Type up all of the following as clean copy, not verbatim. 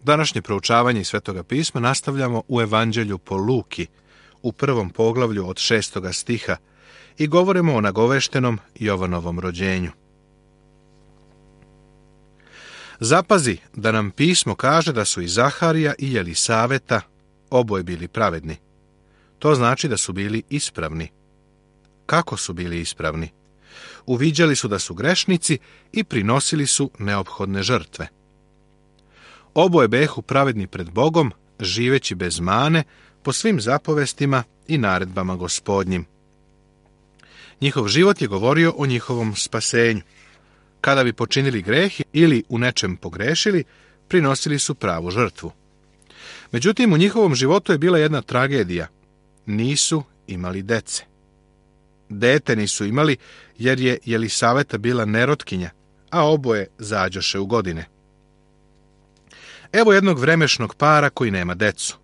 Današnje proučavanje iz Svetoga pisma nastavljamo u Evanđelju po Luki, u 1. poglavlju od 6. stiha i govorimo o nagoveštenom Jovanovom rođenju. Zapazi da nam pismo kaže da su i Zaharija i Jelisaveta oboje bili pravedni. To znači da su bili ispravni. Kako su bili ispravni? Uviđali su da su grešnici i prinosili su neophodne žrtve. Oboje behu pravedni pred Bogom, živeći bez mane, po svim zapovestima i naredbama Gospodnjim. Njihov život je govorio o njihovom spasenju. Kada bi počinili greh ili u nečem pogrešili, prinosili su pravu žrtvu. Međutim, u njihovom životu je bila jedna tragedija. Nisu imali dece. Dete nisu imali jer je Jelisaveta bila nerotkinja, a oboje zađoše u godine. Evo jednog vremešnog para koji nema decu.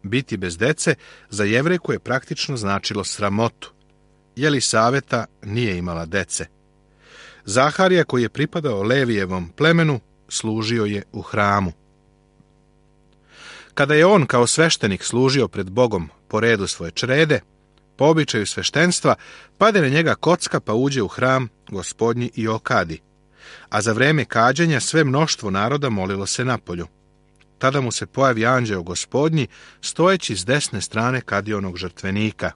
Biti bez dece za Jevrejku je praktično značilo sramotu. Jelisaveta nije imala dece. Zaharija, koji je pripadao Levijevom plemenu, služio je u hramu. Kada je on kao sveštenik služio pred Bogom po redu svoje črede, po običaju sveštenstva, pade na njega kocka pa uđe u hram Gospodnji i okadi. A za vreme kađenja sve mnoštvo naroda molilo se napolju. Tada mu se pojavi anđeo Gospodnji, stojeći s desne strane kadionog žrtvenika.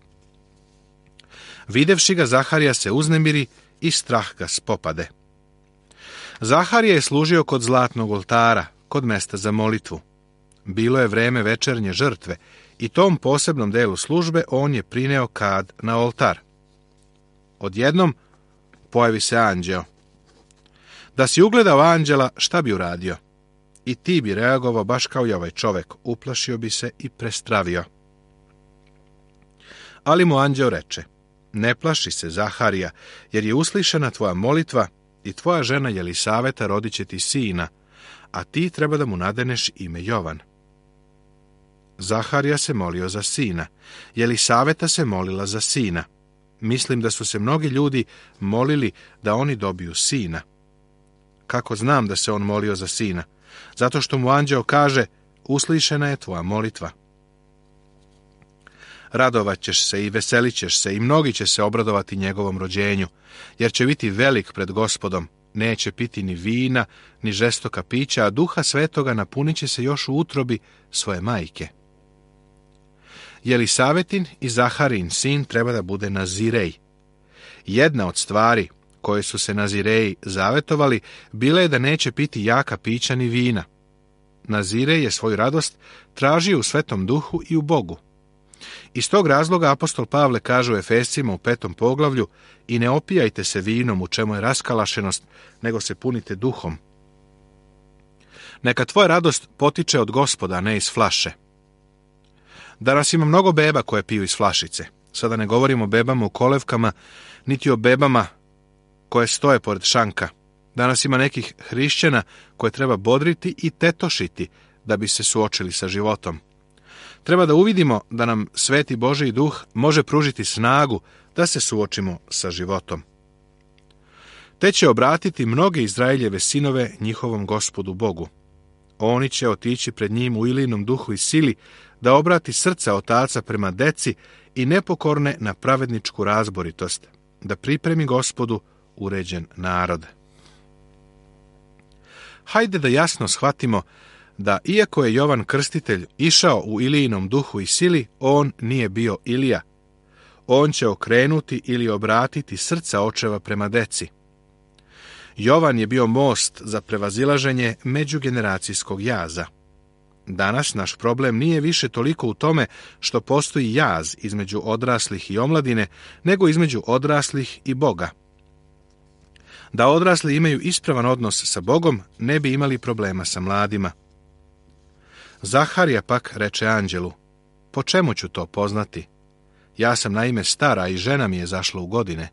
Videvši ga, Zaharija se uznemiri i strah ga spopade. Zaharija je služio kod zlatnog oltara, kod mesta za molitvu. Bilo je vreme večernje žrtve i tom posebnom delu službe on je prineo kad na oltar. Odjednom pojavi se anđeo. Da si ugledao anđela, šta bi uradio? I ti bi reagovao baš kao i ovaj čovek, uplašio bi se i prestravio. Ali mu anđeo reče: ne plaši se, Zaharija, jer je uslišana tvoja molitva i tvoja žena Jelisaveta rodit će ti sina, a ti treba da mu nadeneš ime Jovan. Zaharija se molio za sina, Jelisaveta se molila za sina. Mislim da su se mnogi ljudi molili da oni dobiju sina. Kako znam da se on molio za sina? Zato što mu anđeo kaže: uslišena je tvoja molitva. Radovat ćeš se i veselit ćeš se i mnogi će se obradovati njegovom rođenju, jer će biti velik pred Gospodom, neće piti ni vina, ni žestoka pića, a Duha Svetoga napunit će se još u utrobi svoje majke. Jelisavetin i Zaharin sin treba da bude Nazirej. Jedna od stvari koje su se Nazireji zavetovali bila je da neće piti jaka pića ni vina. Nazirej je svoju radost tražio u Svetom Duhu i u Bogu. Iz tog razloga apostol Pavle kaže u Efescima u 5. poglavlju: i ne opijajte se vinom u čemu je raskalašenost, nego se punite duhom. Neka tvoja radost potiče od Gospoda, ne iz flaše. Danas ima mnogo beba koje piju iz flašice. Sada ne govorimo o bebama u kolevkama, niti o bebama koje stoje pored šanka. Danas ima nekih hrišćana koje treba bodriti i tetošiti da bi se suočili sa životom. Treba da uvidimo da nam Sveti Božji Duh može pružiti snagu da se suočimo sa životom. Te će obratiti mnoge Izraeljeve sinove njihovom Gospodu Bogu. Oni će otići pred njim u Ilinom duhu i sili, da obrati srca otaca prema deci i nepokorne na pravedničku razboritost, da pripremi Gospodu uređen narod. Hajde da jasno shvatimo da iako je Jovan Krstitelj išao u Ilijinom duhu i sili, on nije bio Ilija. On će okrenuti ili obratiti srca očeva prema deci. Jovan je bio most za prevazilaženje međugeneracijskog jaza. Danas naš problem nije više toliko u tome što postoji jaz između odraslih i omladine, nego između odraslih i Boga. Da odrasli imaju ispravan odnos sa Bogom, ne bi imali problema sa mladima. Zaharija pak reče anđelu: po čemu ću to poznati? Ja sam naime stara i žena mi je zašla u godine.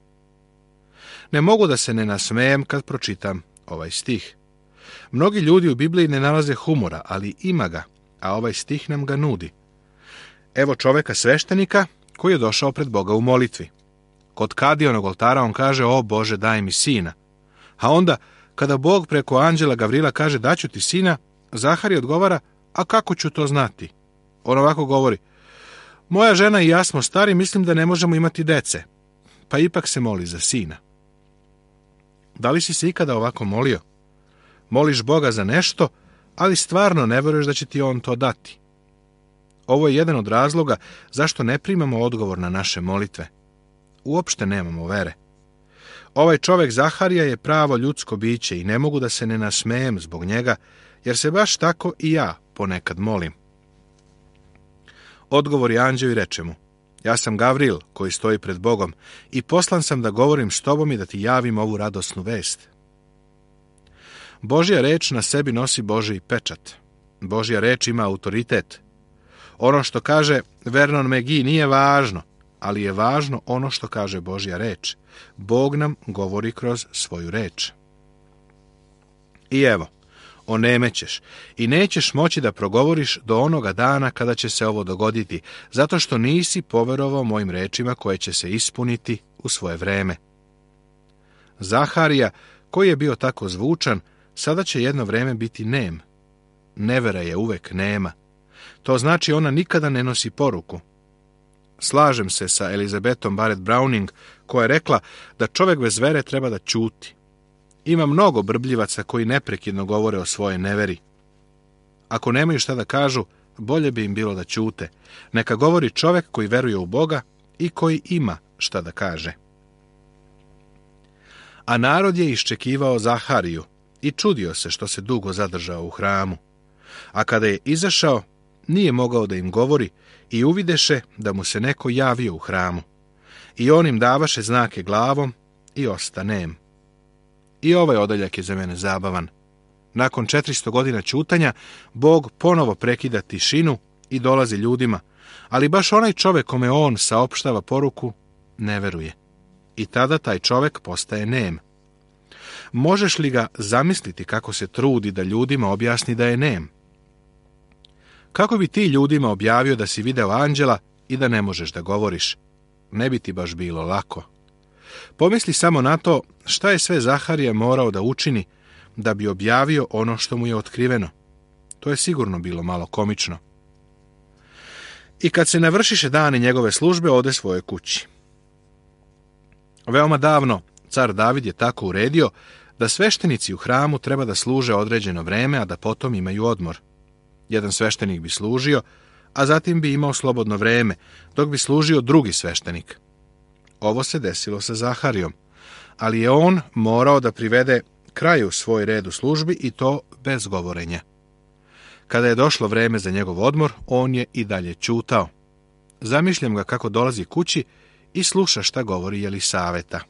Ne mogu da se ne nasmejem kad pročitam ovaj stih. Mnogi ljudi u Bibliji ne nalaze humora, ali ima ga, a ovaj stih nam ga nudi. Evo čoveka sveštenika koji je došao pred Boga u molitvi. Kod kadionog oltara on kaže: o Bože, daj mi sina. A onda, kada Bog preko anđela Gavrila kaže: daću ti sina, Zaharija odgovara, a kako ću to znati? On ovako govori, moja žena i ja smo stari, mislim da ne možemo imati dece. Pa ipak se moli za sina. Da li si se ikada ovako molio? Moliš Boga za nešto, ali stvarno ne vjeruješ da će ti on to dati. Ovo je jedan od razloga zašto ne primamo odgovor na naše molitve. Uopšte nemamo vere. Ovaj čovjek Zaharija je pravo ljudsko biće i ne mogu da se ne nasmejem zbog njega, jer se baš tako i ja ponekad molim. Odgovori anđeo i reče mu, ja sam Gavril koji stoji pred Bogom i poslan sam da govorim s tobom i da ti javim ovu radosnu vest. Božja reč na sebi nosi Božji pečat. Božja reč ima autoritet. Ono što kaže Vernon McGee nije važno, ali je važno ono što kaže Božja reč. Bog nam govori kroz svoju reč. I evo, onemećeš i nećeš moći da progovoriš do onoga dana kada će se ovo dogoditi, zato što nisi poverovao mojim rečima koje će se ispuniti u svoje vreme. Zaharija, koji je bio tako zvučan, sada će jedno vreme biti nem. Nevera je uvek nema. To znači ona nikada ne nosi poruku. Slažem se sa Elizabetom Barrett Browning, koja je rekla da čovjek bez vere treba da ćuti. Ima mnogo brbljivaca koji neprekidno govore o svojoj neveri. Ako nemaju šta da kažu, bolje bi im bilo da ćute. Neka govori čovjek koji veruje u Boga i koji ima šta da kaže. A narod je iščekivao Zahariju i čudio se što se dugo zadržao u hramu. A kada je izašao, nije mogao da im govori i uvideše da mu se neko javio u hramu. I on im davaše znake glavom i osta nem. I ovaj odeljak je za mene zabavan. Nakon 400 godina ćutanja, Bog ponovo prekida tišinu i dolazi ljudima, ali baš onaj čovjek kome on saopštava poruku ne veruje. I tada taj čovjek postaje nem. Možeš li ga zamisliti kako se trudi da ljudima objasni da je nem? Kako bi ti ljudima objavio da si video anđela i da ne možeš da govoriš? Ne bi ti baš bilo lako. Pomisli samo na to šta je sve Zaharija morao da učini da bi objavio ono što mu je otkriveno. To je sigurno bilo malo komično. I kad se navršiše dani njegove službe, ode svojoj kući. Veoma davno car David je tako uredio da sveštenici u hramu treba da služe određeno vreme, a da potom imaju odmor. Jedan sveštenik bi služio, a zatim bi imao slobodno vreme, dok bi služio drugi sveštenik. Ovo se desilo sa Zaharijom, ali je on morao da privede kraju svoj red u službi i to bez govorenja. Kada je došlo vreme za njegov odmor, on je i dalje ćutao. Zamišljam ga kako dolazi kući i sluša šta govori Jelisaveta.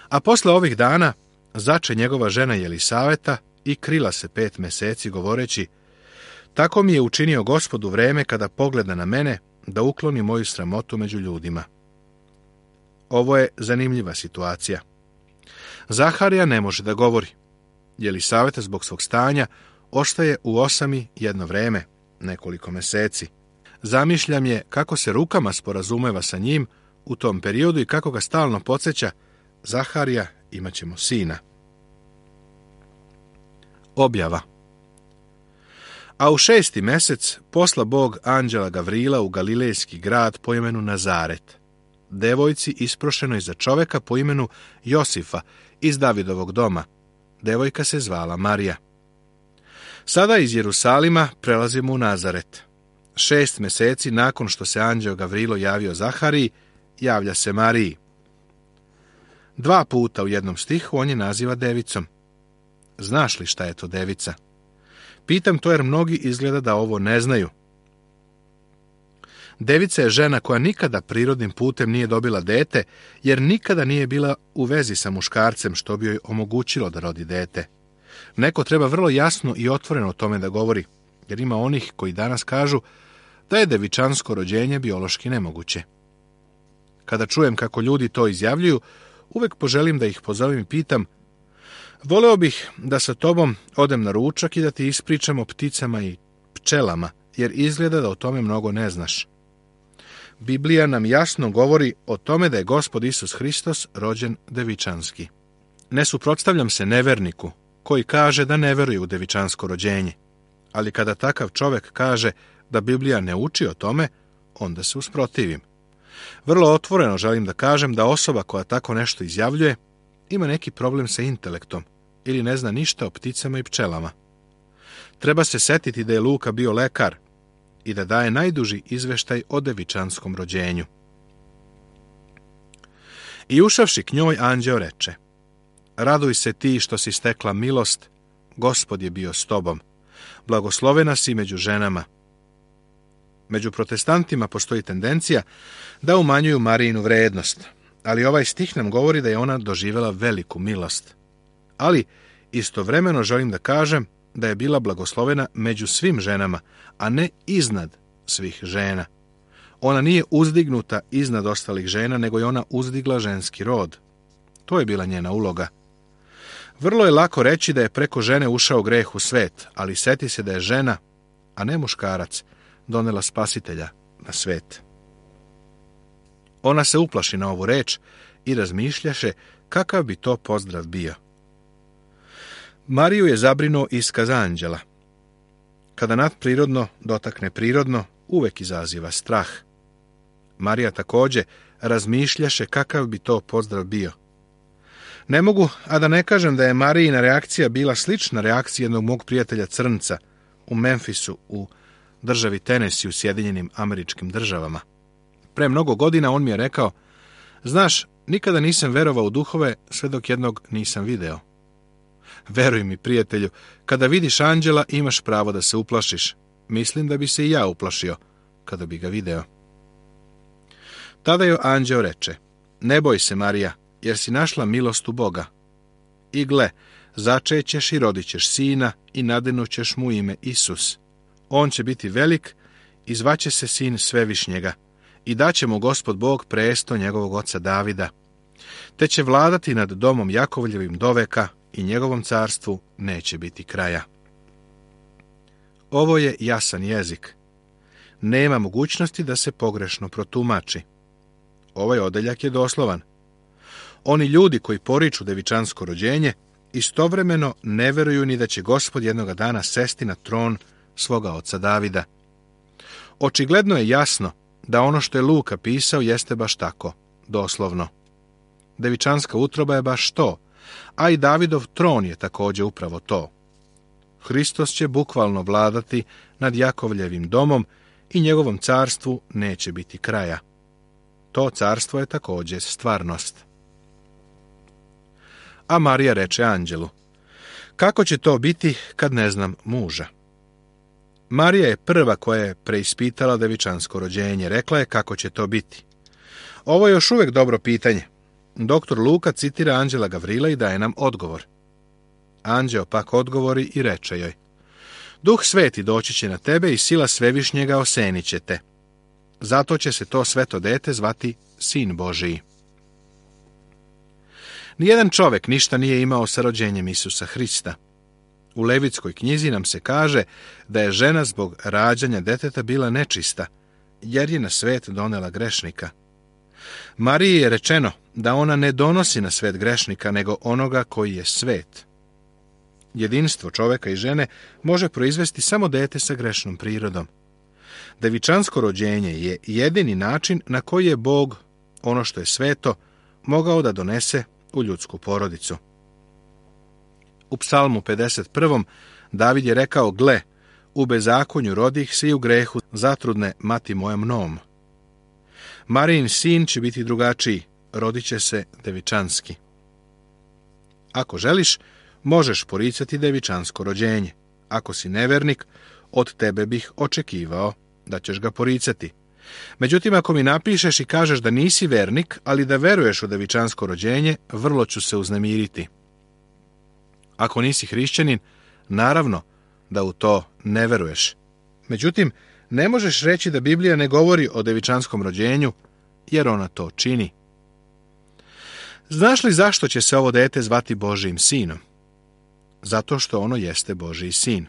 A posle ovih dana zače njegova žena Jelisaveta i krila se 5 meseci govoreći, tako mi je učinio Gospod u vreme kada pogleda na mene da ukloni moju sramotu među ljudima. Ovo je zanimljiva situacija. Zaharija ne može da govori. Jelisaveta zbog svog stanja ostaje u osami jedno vreme, nekoliko meseci. Zamišljam je kako se rukama sporazumeva sa njim u tom periodu i kako ga stalno podsjeća, Zaharija, imat ćemo sina. Objava. A u 6. mesec posla Bog anđela Gavrila u galilejski grad po imenu Nazaret, devojci isprošenoj za čoveka po imenu Josifa iz Davidovog doma. Devojka se zvala Marija. Sada iz Jerusalima prelazimo u Nazaret. 6 meseci nakon što se anđeo Gavrilo javio Zahariji, javlja se Mariji. 2 puta u jednom stihu on je naziva devicom. Znaš li šta je to devica? Pitam to jer mnogi izgleda da ovo ne znaju. Devica je žena koja nikada prirodnim putem nije dobila dete, jer nikada nije bila u vezi sa muškarcem što bi joj omogućilo da rodi dete. Neko treba vrlo jasno i otvoreno o tome da govori, jer ima onih koji danas kažu da je devičansko rođenje biološki nemoguće. Kada čujem kako ljudi to izjavljuju, uvek poželim da ih pozovem i pitam, voleo bih da sa tobom odem na ručak i da ti ispričam o pticama i pčelama, jer izgleda da o tome mnogo ne znaš. Biblija nam jasno govori o tome da je Gospod Isus Hristos rođen devičanski. Ne suprotstavljam se neverniku koji kaže da ne veruje u devičansko rođenje. Ali kada takav čovjek kaže da Biblija ne uči o tome, onda se usprotivim. Vrlo otvoreno želim da kažem da osoba koja tako nešto izjavljuje ima neki problem sa intelektom ili ne zna ništa o pticama i pčelama. Treba se setiti da je Luka bio lekar i da daje najduži izveštaj o devičanskom rođenju. I ušavši k njoj, anđeo reče: Raduj se ti što si stekla milost, Gospod je bio s tobom. Blagoslovena si među ženama. Među protestantima postoji tendencija da umanjuju Marijinu vrednost, ali ovaj stih nam govori da je ona doživjela veliku milost. Ali istovremeno želim da kažem da je bila blagoslovena među svim ženama, a ne iznad svih žena. Ona nije uzdignuta iznad ostalih žena, nego je ona uzdigla ženski rod. To je bila njena uloga. Vrlo je lako reći da je preko žene ušao greh u svet, ali seti se da je žena, a ne muškarac, donela spasitelja na svet. Ona se uplaši na ovu reč i razmišljaše kakav bi to pozdrav bio. Mariju je zabrinuo iskaz anđela. Kada nadprirodno dotakne prirodno, uvek izaziva strah. Marija također razmišljaše kakav bi to pozdrav bio. Ne mogu, a da ne kažem da je Marijina reakcija bila slična reakciji jednog mog prijatelja Crnca u Memphisu, u državi Tennessee u Sjedinjenim Američkim Državama. Pre mnogo godina on mi je rekao: Znaš, nikada nisam verovao u duhove sve dok jednog nisam video. Veruj mi, prijatelju, kada vidiš anđela imaš pravo da se uplašiš. Mislim da bi se i ja uplašio kada bi ga video. Tada joj anđeo reče: Ne boj se, Marija, jer si našla milost u Boga. I gle, začećeš i rodit ćeš sina i nadinućeš mu ime Isus. On će biti velik i zvaće se sin Svevišnjega i daće mu Gospod Bog presto njegovog oca Davida. Te će vladati nad domom Jakovljevim doveka i njegovom carstvu neće biti kraja. Ovo je jasan jezik. Nema mogućnosti da se pogrešno protumači. Ovaj odeljak je doslovan. Oni ljudi koji poriču devičansko rođenje istovremeno ne veruju ni da će Gospod jednoga dana sesti na tron svoga oca Davida. Očigledno je jasno da ono što je Luka pisao jeste baš tako, doslovno. Devičanska utroba je baš to, a i Davidov tron je također upravo to. Hristos će bukvalno vladati nad Jakovljevim domom i njegovom carstvu neće biti kraja. To carstvo je također stvarnost. A Marija reče anđelu: Kako će to biti kad ne znam muža? Marija je prva koja je preispitala devičansko rođenje. Rekla je kako će to biti. Ovo je još uvijek dobro pitanje. Doktor Luka citira anđela Gavrila i daje nam odgovor. Anđeo pak odgovori i reče joj: Duh Sveti doći će na tebe i sila Svevišnjega osenit će te. Zato će se to sveto dete zvati Sin Božiji. Nijedan čovjek ništa nije imao sa rođenjem Isusa Hrista. U Levitskoj knjizi nam se kaže da je žena zbog rađanja deteta bila nečista, jer je na svet donela grešnika. Mariji je rečeno da ona ne donosi na svet grešnika, nego onoga koji je svet. Jedinstvo čovjeka i žene može proizvesti samo dete sa grešnom prirodom. Devičansko rođenje je jedini način na koji je Bog, ono što je sveto, mogao da donese u ljudsku porodicu. U Psalmu 51. David je rekao: Gle, u bezakonju rodih se i u grehu zatrudne mati moja mnom. Marijin sin će biti drugačiji, rodit će se devičanski. Ako želiš, možeš poricati devičansko rođenje. Ako si nevernik, od tebe bih očekivao da ćeš ga poricati. Međutim, ako mi napišeš i kažeš da nisi vernik, ali da veruješ u devičansko rođenje, vrlo ću se uznemiriti. Ako nisi hrišćanin, naravno da u to ne veruješ. Međutim, ne možeš reći da Biblija ne govori o devičanskom rođenju, jer ona to čini. Znaš li zašto će se ovo dete zvati Božijim sinom? Zato što ono jeste Božiji sin.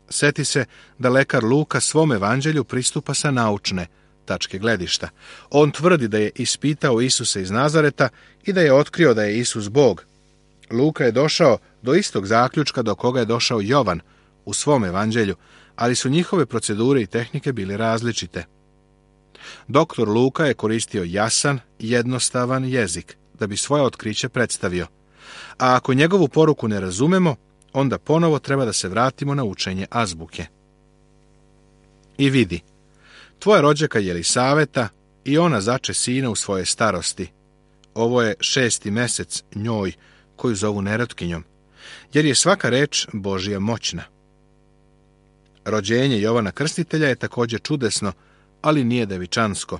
Seti se da lekar Luka svom evanđelju pristupa sa naučne tačke gledišta. On tvrdi da je ispitao Isusa iz Nazareta i da je otkrio da je Isus Bog. Luka je došao do istog zaključka do koga je došao Jovan u svom evanđelju, ali su njihove procedure i tehnike bile različite. Doktor Luka je koristio jasan, jednostavan jezik da bi svoje otkriće predstavio, a ako njegovu poruku ne razumemo, onda ponovo treba da se vratimo na učenje azbuke. I vidi, tvoja rođaka Jelisaveta i ona zače sina u svoje starosti. Ovo je 6. mesec njoj, koju zovu nerotkinjom, jer je svaka reč Božja moćna. Rođenje Jovana Krstitelja je također čudesno, ali nije devičansko.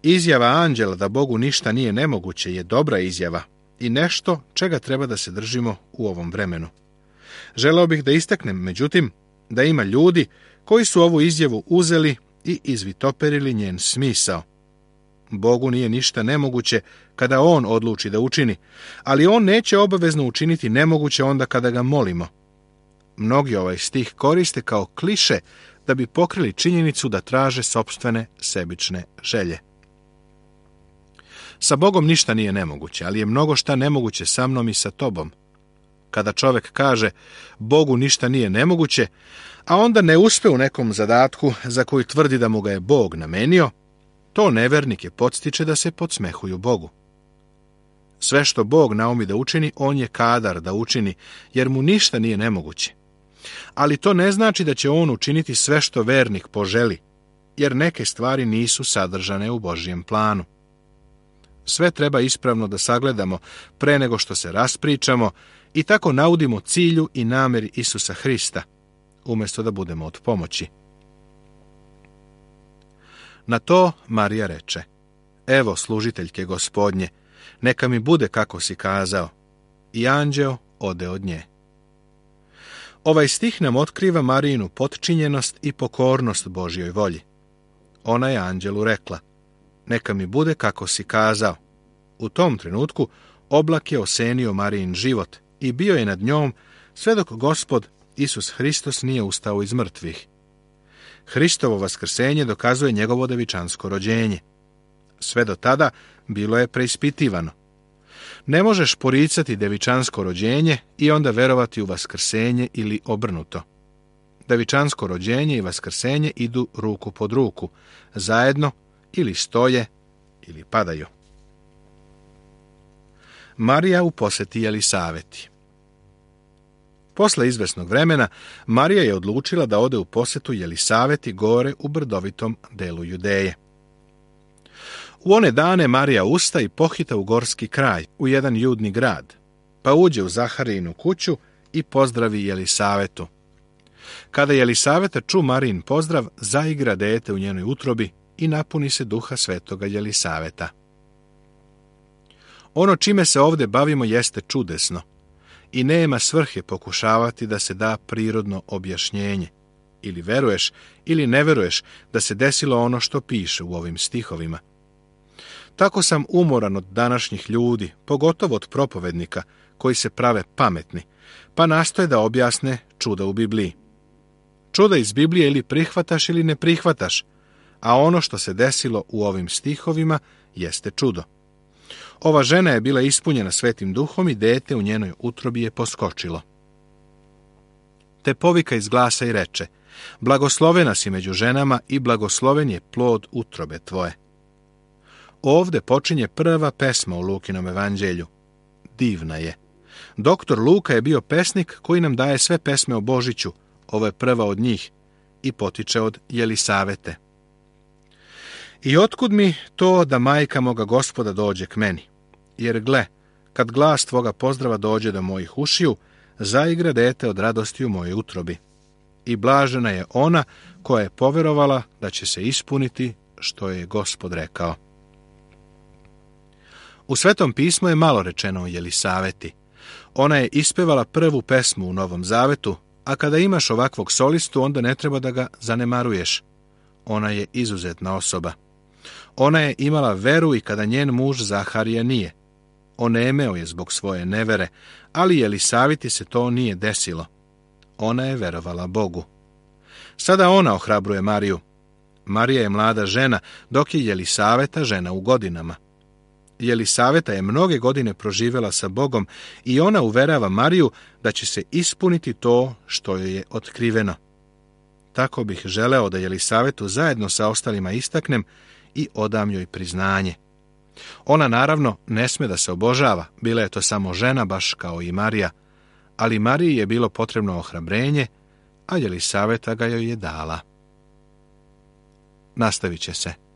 Izjava anđela da Bogu ništa nije nemoguće je dobra izjava i nešto čega treba da se držimo u ovom vremenu. Želeo bih da istaknem, međutim, da ima ljudi koji su ovu izjavu uzeli i izvitoperili njen smisao. Bogu nije ništa nemoguće kada on odluči da učini, ali on neće obavezno učiniti nemoguće onda kada ga molimo. Mnogi ovaj stih koriste kao kliše da bi pokrili činjenicu da traže sopstvene sebične želje. Sa Bogom ništa nije nemoguće, ali je mnogo šta nemoguće sa mnom i sa tobom. Kada čovjek kaže Bogu ništa nije nemoguće, a onda ne uspe u nekom zadatku za koji tvrdi da mu ga je Bog namenio, to nevernike podstiče da se podsmehuju Bogu. Sve što Bog naumi da učini, on je kadar da učini, jer mu ništa nije nemoguće. Ali to ne znači da će on učiniti sve što vernik poželi, jer neke stvari nisu sadržane u Božjem planu. Sve treba ispravno da sagledamo pre nego što se raspričamo i tako naudimo cilju i nameri Isusa Hrista, umjesto da budemo od pomoći. Na to Marija reče: Evo služiteljke Gospodnje, neka mi bude kako si kazao. I anđeo ode od nje. Ovaj stih nam otkriva Marijinu potčinjenost i pokornost Božjoj volji. Ona je anđelu rekla: Neka mi bude kako si kazao. U tom trenutku oblak je osenio Marijin život i bio je nad njom sve dok Gospod Isus Hristos nije ustao iz mrtvih. Hristovo vaskrsenje dokazuje njegovo devičansko rođenje. Sve do tada bilo je preispitivano. Ne možeš poricati devičansko rođenje i onda verovati u vaskrsenje ili obrnuto. Devičansko rođenje i vaskrsenje idu ruku pod ruku, zajedno ili stoje ili padaju. Marija u poseti Jelisaveti. Posle izvesnog vremena, Marija je odlučila da ode u posetu Jelisaveti gore u brdovitom delu Judeje. U one dane Marija usta i pohita u gorski kraj, u jedan judni grad, pa uđe u Zaharijinu kuću i pozdravi Jelisavetu. Kada Jelisaveta ču Marijin pozdrav, zaigra dete u njenoj utrobi i napuni se duha svetoga Jelisaveta. Ono čime se ovdje bavimo jeste čudesno i nema svrhe pokušavati da se da prirodno objašnjenje. Ili veruješ ili ne veruješ da se desilo ono što piše u ovim stihovima. Tako sam umoran od današnjih ljudi, pogotovo od propovednika, koji se prave pametni, pa nastoje da objasne čuda u Bibliji. Čuda iz Biblije ili prihvataš ili ne prihvataš, a ono što se desilo u ovim stihovima jeste čudo. Ova žena je bila ispunjena Svetim Duhom i dete u njenoj utrobi je poskočilo. Te povika iz glasa i reče: Blagoslovena si među ženama i blagosloven je plod utrobe tvoje. Ovde počinje prva pesma u Lukinom evanđelju. Divna je. Doktor Luka je bio pesnik koji nam daje sve pesme o Božiću. Ovo je prva od njih i potiče od Jelisavete. I otkud mi to da majka moga Gospoda dođe k meni? Jer gle, kad glas tvoga pozdrava dođe do mojih ušiju, zaigra dete od radosti u mojoj utrobi. I blažena je ona koja je poverovala da će se ispuniti što je Gospod rekao. U Svetom pismu je malo rečeno o Jelisaveti. Ona je ispevala prvu pesmu u Novom Zavetu, a kada imaš ovakvog solistu, onda ne treba da ga zanemaruješ. Ona je izuzetna osoba. Ona je imala veru i kada njen muž Zaharija nije. Onemeo je zbog svoje nevere, ali Jelisaveti se to nije desilo. Ona je verovala Bogu. Sada ona ohrabruje Mariju. Marija je mlada žena, dok je Jelisaveta žena u godinama. Jelisaveta je mnoge godine proživjela sa Bogom i ona uverava Mariju da će se ispuniti to što joj je otkriveno. Tako bih želeo da Jelisavetu zajedno sa ostalima istaknem i odam joj priznanje. Ona naravno ne sme da se obožava, bila je to samo žena baš kao i Marija, ali Mariji je bilo potrebno ohrabrenje, a Jelisaveta ga joj je dala. Nastavit će se.